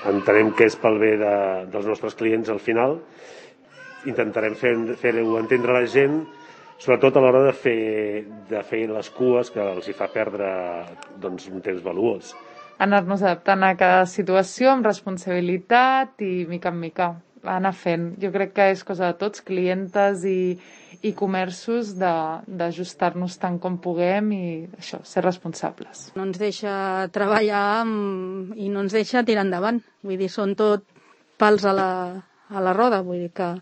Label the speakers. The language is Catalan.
Speaker 1: Entenem que és pel bé dels nostres clients al final. Intentarem fer-ho entendre a la gent, sobretot a l'hora de fer les cues, que els hi fa perdre un temps valuós.
Speaker 2: Anar-nos adaptant a cada situació amb responsabilitat i mica en mica anar fent. Jo crec que és cosa de tots, clientes i comerços, d'ajustar-nos tant com puguem i això, ser responsables.
Speaker 3: No ens deixa treballar i no ens deixa tirar endavant. Vull dir, són tot pals a la roda, vull dir que